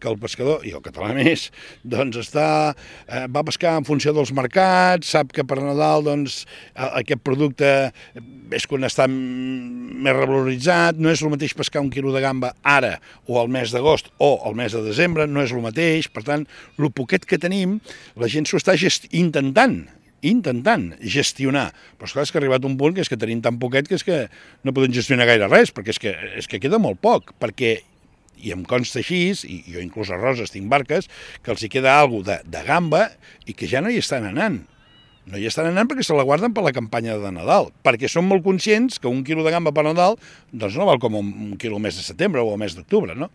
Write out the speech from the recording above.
que el pescador, i el català més, doncs va pescar en funció dels mercats, sap que per Nadal doncs, aquest producte és quan està més revaloritzat, no és el mateix pescar un quilo de gamba ara o al mes d'agost o al mes de desembre, no és el mateix, per tant, el poquet que tenim, la gent s'ho està intentant gestionar. Però esclar, és que ha arribat un punt que és que tenim tan poquet que és que no podem gestionar gaire res, perquè és que queda molt poc, perquè, i em consta així, i jo inclús a Roses tinc barques, que els hi queda alguna cosa de gamba i que ja no hi estan anant. No hi estan anant perquè se la guarden per la campanya de Nadal, perquè són molt conscients que un quilo de gamba per Nadal doncs no val com un quilo al mes de setembre o al mes d'octubre, no?